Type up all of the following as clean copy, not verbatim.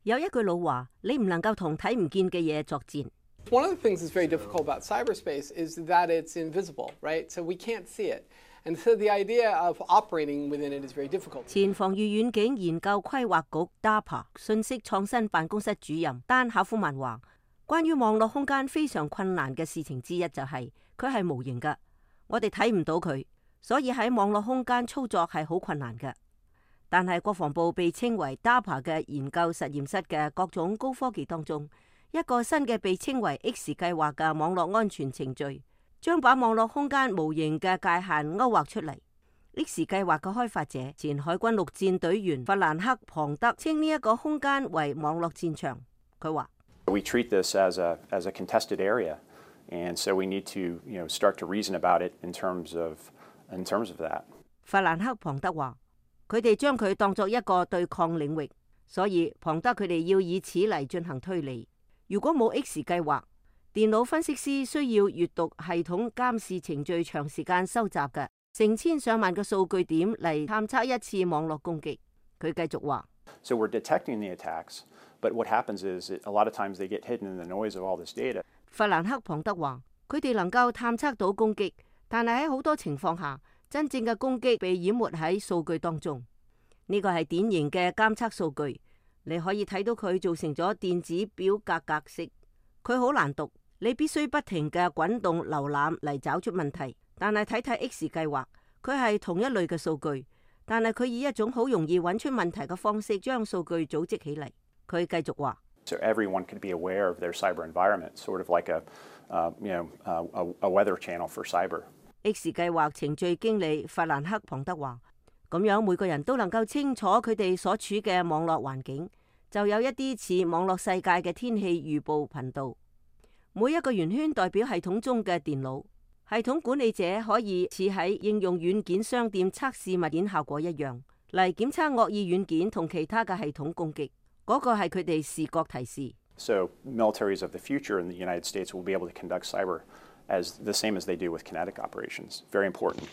有一句老話，你唔能夠同睇唔見嘅嘢作戰。One of the things that's very difficult about cyberspace is that it's invisible, right? So we can't see it. And so the idea of operating within it is very difficult. 前防禦遠景研究規劃局 DARPA 信息創新辦公室主任丹考夫曼話，關於網絡空間非常困難嘅事情之一就係佢係無形嘅，我哋睇唔到佢，所以喺網絡空間操作係好困難嘅。但係國防部被稱為 DARPA 嘅研究實驗室嘅各種高科技當中，一個新嘅被稱為 X 計劃嘅網絡安全程序，將把網絡空間無形嘅界限勾畫出嚟。X 計劃嘅開發者前海軍陸戰隊員弗蘭克·龐德稱呢一個空間為網絡戰場。佢話：We treat this as a contested area, and so we need to, start to reason about it in terms of that. 弗蘭克·龐德話：佢哋將佢當作一個對抗領域，所以龐德佢哋要以此嚟進行推理。如果冇 X 計劃，電腦分析師需要閱讀系統監視程序長時間收集嘅成千上萬個數據點嚟探測一次網絡攻擊。佢繼續話 ：So we're detecting the attacks, but what happens is a lot of times they get hidden in the noise of all this data. 弗蘭克·龐德話：佢哋能夠探測到攻擊，但係喺好多情況下，真正嘅攻擊被淹沒喺數據當中。呢個係典型嘅監測數據，你可以睇到佢做成咗電子表格格式，佢好難讀，你必須不停嘅滾動瀏覽嚟找出問題。但係睇睇 X 計劃，佢係同一類嘅數據，但係佢以一種好容易揾出問題嘅方式將數據組織起嚟。佢繼續話 ：So everyone could be aware of their cyber environment, sort of like a weather channel for cyber. X 計劃程序經理弗蘭克·龐德話：咁樣每個人都能夠清楚佢哋所處嘅網絡環境，就有一啲似網絡世界嘅天氣預報頻道。每一個圓圈代表系統中嘅電腦，系統管理者可以似喺應用軟件商店測試物件效果一樣，嚟檢測惡意軟件同其他嘅系統攻擊。嗰個係佢哋視覺提示。So militaries of the future in the United States will be able to conduct cyber as the same as they do with kinetic operations. Very important.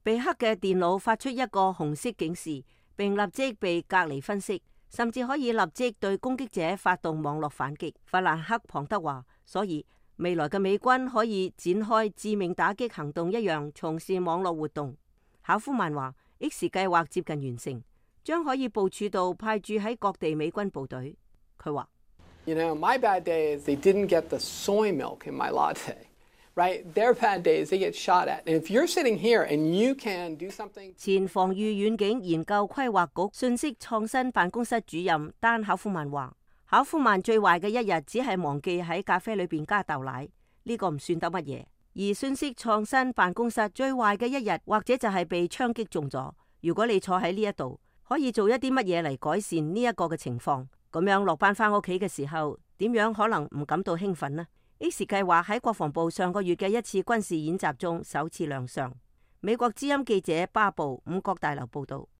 被黑嘅電腦發出一個紅色警示，並立即被隔離分析，甚至可以立即對攻擊者發動網絡反擊。弗蘭克·龐德話：所以未來嘅美軍可以展開致命打擊行動一樣從事網絡活動。考夫曼話 ：X 計劃接近完成，將可以部署到派駐喺各地美軍部隊。佢話：My bad day is they didn't get the soy milk in my latte. Right, their bad days they get shot at. And if you're sitting here and you can do something， 前防禦遠景研究規劃局信息創新辦公室主任丹考夫曼話：考夫曼最壞嘅一日只係忘記喺咖啡裏邊加豆奶，呢個唔算得乜嘢。而信息創新辦公室最壞嘅一日，或者就係被槍擊中咗。如果你坐喺呢一度，可以做一啲乜嘢嚟改善呢一個嘅情況？咁樣落班翻屋企嘅時候，點樣可能唔感到興奮呢？X 計劃喺國防部上個月嘅一次軍事演習中首次亮相。美國之音記者巴布伍國大樓報道。